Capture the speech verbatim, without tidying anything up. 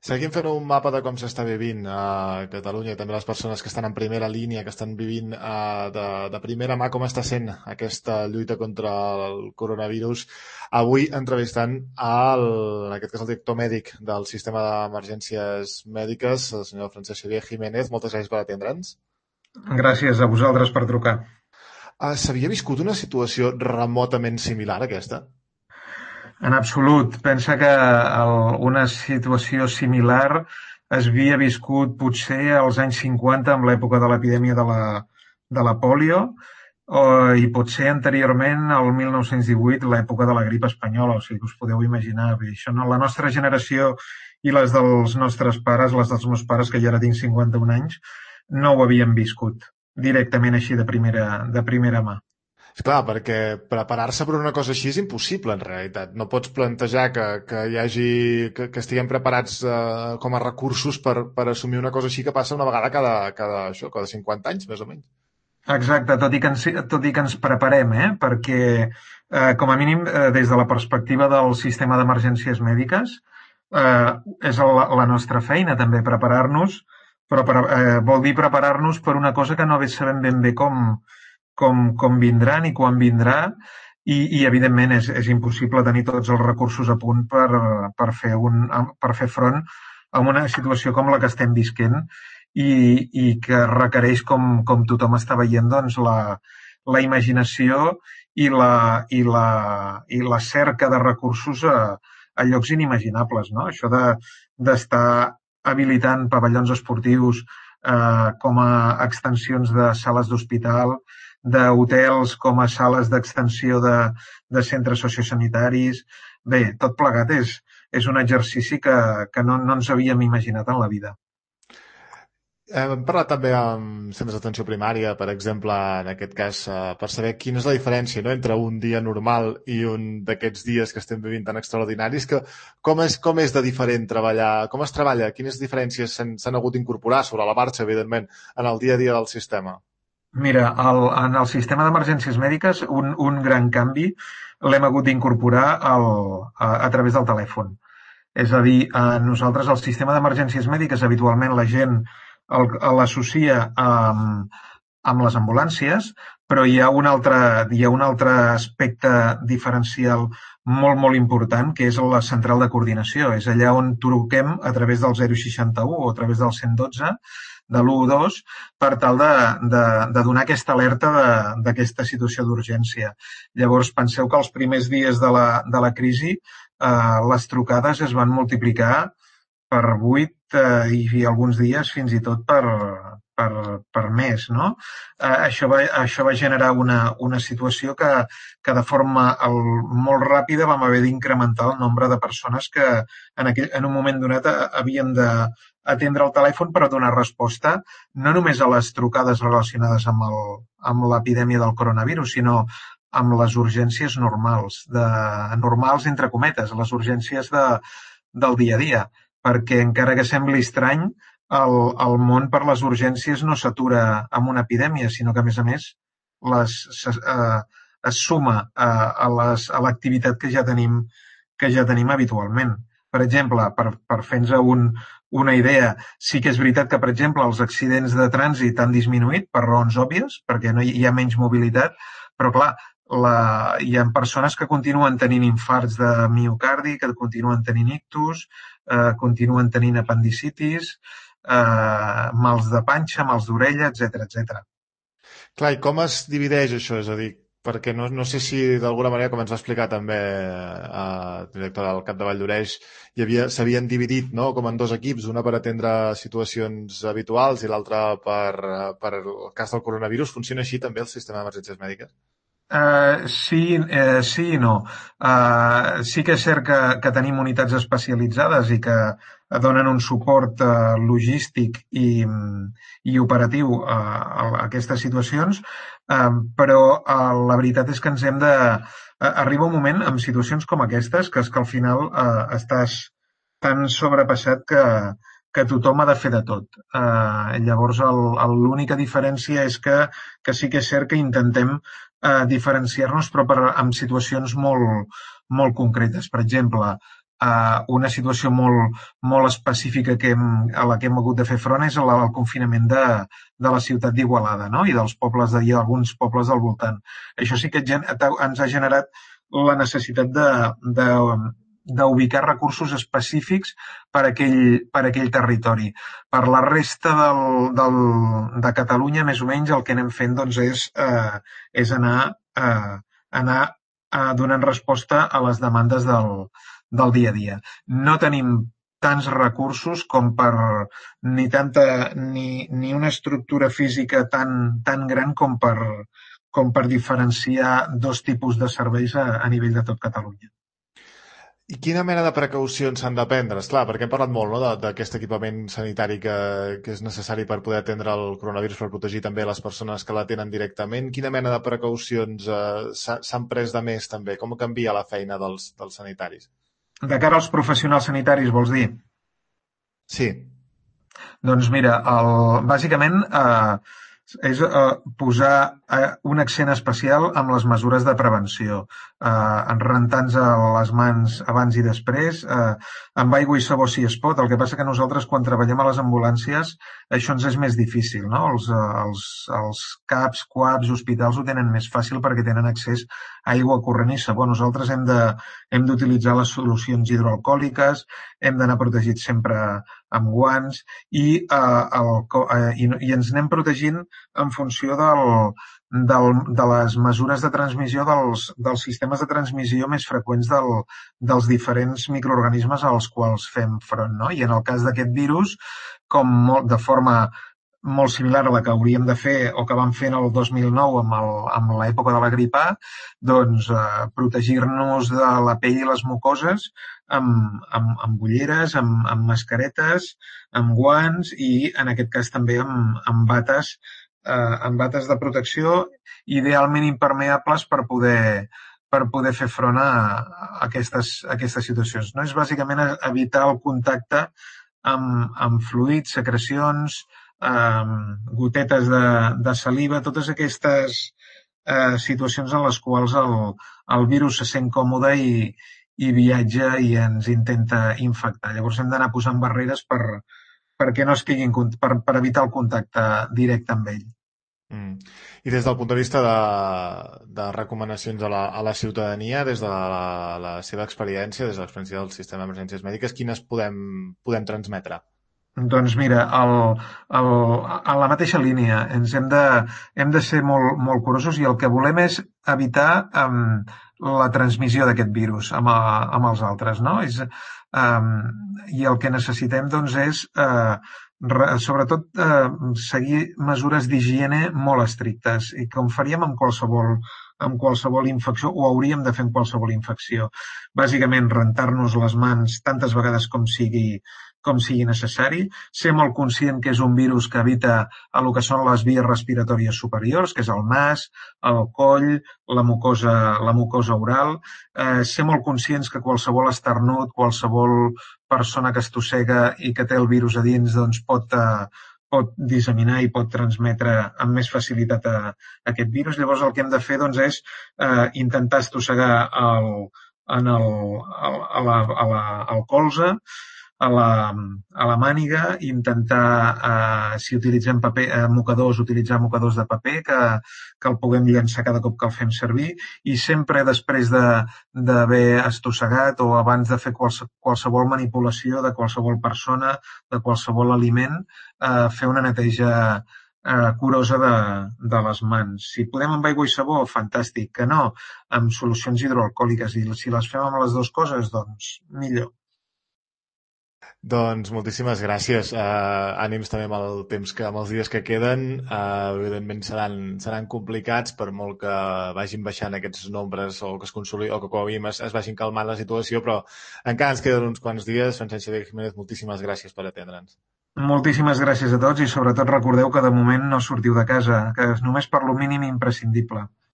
Seguim fent un mapa de com s'està vivint a Catalunya i també les persones que estan en primera línia, que estan vivint eh, de, de primera mà com està sent aquesta lluita contra el coronavirus. Avui entrevistant el, en aquest cas el director mèdic del sistema d'emergències mèdiques, el senyor Francesc Xavier Jiménez. Moltes gràcies per atendre'ns. Gràcies a vosaltres per trucar. Uh, S'havia viscut una situació remotament similar a aquesta? En absolut. Pensa que el, una situació similar es havia viscut potser als anys cinquanta, amb l'època de l'epidèmia de la, de la pòlio, o, i potser anteriorment, al mil nou-cents divuit, l'època de la grip espanyola. O sigui que us podeu imaginar bé. Això no, la nostra generació i les dels nostres pares, les dels meus pares, que ja ara tinc cinquanta-un anys, no ho havien viscut directament així de primera, de primera mà. Esclar, perquè preparar-se per una cosa així és impossible, en realitat. No pots plantejar que, que hi hagi, que, que estiguem preparats eh, com a recursos per, per assumir una cosa així que passa una vegada cada, cada, això, cada cinquanta anys, més o menys. Exacte, tot i que ens, tot i que ens preparem, eh? Perquè, eh, com a mínim, eh, des de la perspectiva del sistema d'emergències mèdiques, eh, és la, la nostra feina també preparar-nos, però per, eh, vol dir preparar-nos per una cosa que no sabem ben bé com, com, com vindrà ni quan vindrà, i, i evidentment és, és impossible tenir tots els recursos a punt per, per, fer un, per fer front a una situació com la que estem visquent i, i que requereix, com, com tothom està veient, doncs, la, la imaginació i la, i, la, i la cerca de recursos a, a llocs inimaginables, no? Això de, d'estar habilitant pavellons esportius eh, com a extensions de sales d'hospital, d'hotels com a sales d'extensió de, de centres sociosanitaris. Bé, tot plegat és, és un exercici que, que no, no ens havíem imaginat en la vida. Hem parlat també amb centres d'atenció primària, per exemple, en aquest cas, per saber quina és la diferència, no?, entre un dia normal i un d'aquests dies que estem vivint tan extraordinaris, que com és, com és de diferent treballar, com es treballa, quines diferències s'han hagut d'incorporar sobre la marxa, evidentment, en el dia a dia del sistema? Mira, el, en el sistema d'emergències mèdiques un, un gran canvi l'hem hagut d'incorporar al, a, a través del telèfon. És a dir, a nosaltres el sistema d'emergències mèdiques habitualment la gent l'associa amb, amb les ambulàncies, però hi ha un altre, hi ha un altre aspecte diferencial molt, molt important, que és la central de coordinació. És allà on truquem a través del zero seixanta-u o a través del cent dotze, de l'u dos, per tal de, de, de donar aquesta alerta d'aquesta situació d'urgència. Llavors, penseu que els primers dies de la, de la crisi eh, les trucades es van multiplicar per vuit eh, i alguns dies fins i tot per, per, per més, no? Eh, això, va, això va generar una, una situació que, que de forma el, molt ràpida vam haver d'incrementar el nombre de persones que en, aquell, en un moment donat havien de atendre el telèfon per a donar resposta no només a les trucades relacionades amb el, amb l'epidèmia del coronavirus, sinó amb les urgències normals, de, normals entre cometes, les urgències de, del dia a dia, perquè encara que sembli estrany, el, el món per les urgències no s'atura amb una epidèmia, sinó que, a més a més, les, eh, es suma a, a les, a l'activitat que ja tenim, que ja tenim habitualment. Per exemple, per, per fer-nos un, una idea, sí que és veritat que, per exemple, els accidents de trànsit han disminuït per raons òbvies, perquè no hi, hi ha menys mobilitat, però, clar, la, hi ha persones que continuen tenint infarts de miocardi, que continuen tenint ictus, eh, continuen tenint apendicitis, eh, mals de panxa, mals d'orella, etcètera, etcètera. Clar, i com es divideix això? És a dir, perquè no, no sé si d'alguna manera, com ens va explicar també el director del Cap de Valldoreix, s'havien dividit, no?, com en dos equips, una per atendre situacions habituals i l'altra per, per el cas del coronavirus. Funciona així també el sistema d'emergències mèdiques? Uh, sí, uh, sí i no. Uh, sí que és cert que, que tenim unitats especialitzades i que donen un suport uh, logístic i, i operatiu uh, a aquestes situacions, uh, però uh, la veritat és que ens hem de... Uh, arriba un moment amb situacions com aquestes que és que al final uh, estàs tan sobrepassat que, que tothom ha de fer de tot. Uh, llavors, l'única diferència és que, que sí que és cert que intentem eh, diferenciar-nos, però per, en situacions molt, molt concretes. Per exemple, Uh, una situació molt, molt específica que hem, a la que hem hagut de fer front és el, el confinament de, de la ciutat d'Igualada, no? I dels pobles de, i alguns pobles del voltant. Això sí que ens ha generat la necessitat de, de, d'ubicar recursos específics per a aquell, per a aquell territori. Per la resta del, del, de Catalunya, més o menys, el que anem fent doncs, és, uh, és anar, uh, anar uh, donant resposta a les demandes del del dia a dia. No tenim tants recursos com per ni tanta ni, ni una estructura física tan, tan gran com per, com per diferenciar dos tipus de serveis a, a nivell de tot Catalunya. I quina mena de precaucions s'han de prendre? Esclar, perquè hem parlat molt, no?, d'aquest equipament sanitari que, que és necessari per poder atendre el coronavirus, per protegir també les persones que la tenen directament. Quina mena de precaucions eh, s'han pres de més també? Com canvia la feina dels, dels sanitaris? De cara als professionals sanitaris, vols dir? Sí. Doncs mira, el, bàsicament eh, és eh, posar eh, un accent especial amb les mesures de prevenció, eh, rentant-nos les mans abans i després, eh, amb aigua i sabó si es pot. El que passa que nosaltres quan treballem a les ambulàncies això ens és més difícil, no? Els, els, els CAPs, CUAPs, hospitals ho tenen més fàcil perquè tenen accés a aigua corrent i sabó. Nosaltres hem de, hem d'utilitzar les solucions hidroalcohòliques, hem d'anar protegits sempre amb guants i, eh, el, eh, i, i ens anem protegint en funció del, del, de les mesures de transmissió dels, dels sistemes de transmissió més freqüents del, dels diferents microorganismes als quals fem front, no? I en el cas d'aquest virus, com molt, de forma molt similar a la que hauríem de fer o que vam fer en el dos mil nou amb, el, amb l'època de la grip A, doncs eh, protegir-nos de la pell i les mucoses amb, amb, amb ulleres, amb, amb mascaretes, amb guants i en aquest cas també amb, amb bates eh, amb bates de protecció idealment impermeables per poder per poder fer front a, a, aquestes, a aquestes situacions. No? És bàsicament evitar el contacte amb, amb fluids, secrecions, eh, gotetes de, de saliva, totes aquestes eh, situacions en les quals el, el virus se sent còmode i, i viatja i ens intenta infectar. Llavors hem d'anar posant barreres per, perquè no estiguin, per, per evitar el contacte directe amb ell. Mm. I des del punt de vista de, de recomanacions a la, a la ciutadania, des de la, la seva experiència, des de l'experiència del sistema d'emergències mèdiques, quines podem, podem transmetre? Doncs mira, el, el, en la mateixa línia, ens hem de, hem de ser molt, molt curosos i el que volem és evitar um, la transmissió d'aquest virus amb, a, amb els altres, no? És, um, I el que necessitem, doncs, és uh, re, sobretot uh, seguir mesures d'higiene molt estrictes i com faríem amb qualsevol amb qualsevol infecció o hauríem de fer amb qualsevol infecció. Bàsicament, rentar-nos les mans tantes vegades com sigui com sigui necessari, ser molt conscient que és un virus que evita el que són les vies respiratòries superiors, que és el nas, el coll, la mucosa, la mucosa oral, eh, ser molt conscients que qualsevol esternut, qualsevol persona que estossega i que té el virus a dins doncs pot, eh, pot disseminar i pot transmetre amb més facilitat a, a aquest virus. Llavors el que hem de fer doncs, és eh, intentar estossegar el, en el, a la, a la, al colze, a la, a la màniga, intentar, eh, si utilitzem paper, eh, mocadors, utilitzar mocadors de paper que, que el puguem llançar cada cop que el fem servir i sempre després d'haver estossegat o abans de fer quals, qualsevol manipulació de qualsevol persona, de qualsevol aliment, eh, fer una neteja eh, curosa de, de les mans. Si podem amb aigua i sabó, fantàstic. Que no, amb solucions hidroalcohòliques. I si les fem amb les dues coses, doncs millor. Doncs moltíssimes gràcies. Uh, ànims també amb el temps que, amb els dies que queden. Uh, evidentment seran, seran complicats per molt que vagin baixant aquests nombres o que es consoli, o que com a mínim es, es vagin calmant la situació, però encara ens queden uns quants dies. Francesc Xavier Jiménez, moltíssimes gràcies per atendre'ns. Moltíssimes gràcies a tots i sobretot recordeu que de moment no sortiu de casa, que és només per lo mínim imprescindible.